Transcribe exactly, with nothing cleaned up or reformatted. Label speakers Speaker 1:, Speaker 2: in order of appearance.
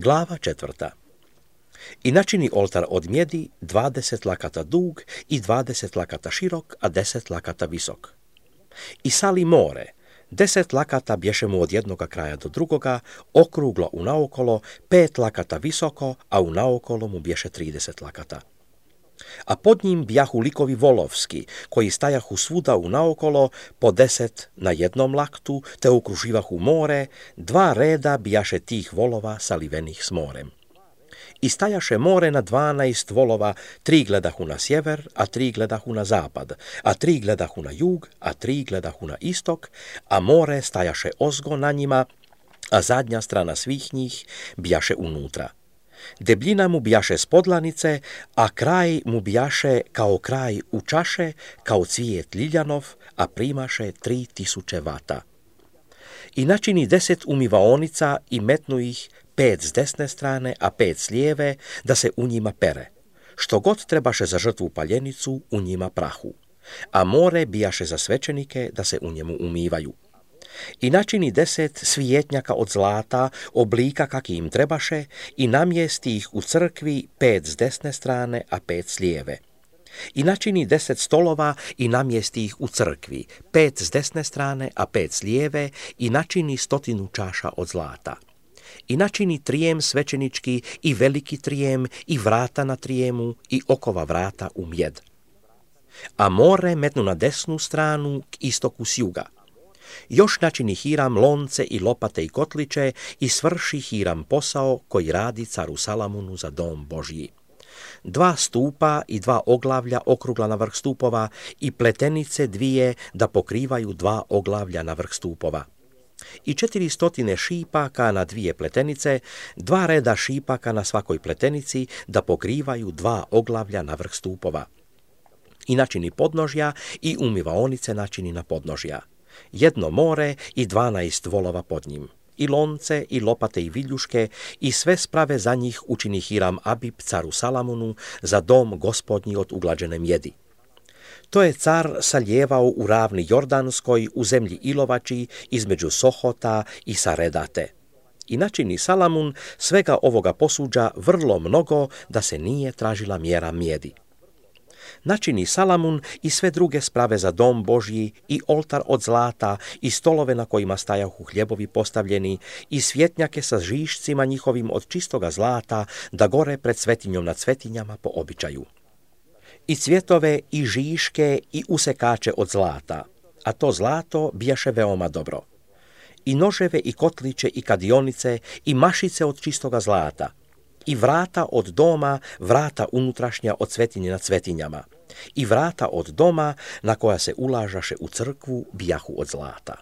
Speaker 1: Glava četvrta. I načini oltar od mjedi dvadeset lakata dug i dvadeset lakata širok, a deset lakata visok. I sali more, deset lakata bješe mu od jednoga kraja do drugoga, okruglo unaokolo, pet lakata visoko, a unaokolo mu bješe trideset lakata. A pod njim bjahu likovi volovski, koji stajahu svuda unaokolo, po deset na jednom laktu, te okruživahu more, dva reda bjaše tih volova salivenih s morem. I stajaše more na dvanaest volova, tri gledahu na sjever, a tri gledahu na zapad, a tri gledahu na jug, a tri gledahu na istok, a more stajaše ozgo na njima, a zadnja strana svih njih bjaše unutra. Debljina mu bjaše s podlanice, a kraj mu bjaše kao kraj u čaše, kao cvijet ljiljanov, a primaše tri tisuće vata. I načini deset umivaonica i metnu ih, pet s desne strane, a pet s lijeve, da se u njima pere. Što god trebaše za žrtvu paljenicu, u njima prahu. A more bijaše za svećenike, da se u njemu umivaju. I načini deset svijetnjaka od zlata, oblika kaki im trebaše, i namjesti ih u crkvi, pet s desne strane, a pet s lijeve. I načini deset stolova i namjesti ih u crkvi, pet s desne strane, a pet s lijeve, i načini stotinu čaša od zlata. I načini trijem svećenički i veliki trijem i vrata na trijemu i okova vrata u mjed. A more metnu na desnu stranu k istoku s juga. Još načini Hiram lonce i lopate i kotliće i svrši Hiram posao koji radi caru Salamunu za dom Božji. Dva stupa i dva oglavlja okrugla na vrh stupova i pletenice dvije da pokrivaju dva oglavlja na vrh stupova. I četiri stotine šipaka na dvije pletenice, dva reda šipaka na svakoj pletenici da pokrivaju dva oglavlja na vrh stupova. I načini podnožja i umivaonice načini na podnožja. Jedno more i dvanaest volova pod njim. I lonce, i lopate, i viljuške, i sve sprave za njih učini Hiram Abib caru Salamunu za dom gospodnji od uglađene mjedi. To je car saljevao u ravni Jordanskoj, u zemlji Ilovači, između Sohota i Saredate. I načini Salamun svega ovoga posuđa vrlo mnogo, da se nije tražila mjera mjedi. Načini Salamun i sve druge sprave za dom Božji, i oltar od zlata, i stolove na kojima stajahu hljebovi postavljeni, i svjetnjake sa žišcima njihovim od čistoga zlata, da gore pred svetinjom nad svetinjama po običaju. I cvjetove, i žiške, i usekače od zlata, a to zlato bijaše veoma dobro. I noževe, i kotliće, i kadionice, i mašice od čistoga zlata, i vrata od doma, vrata unutrašnja od svetinje nad svetinjama, i vrata od doma na koja se ulažaše u crkvu bijahu od zlata.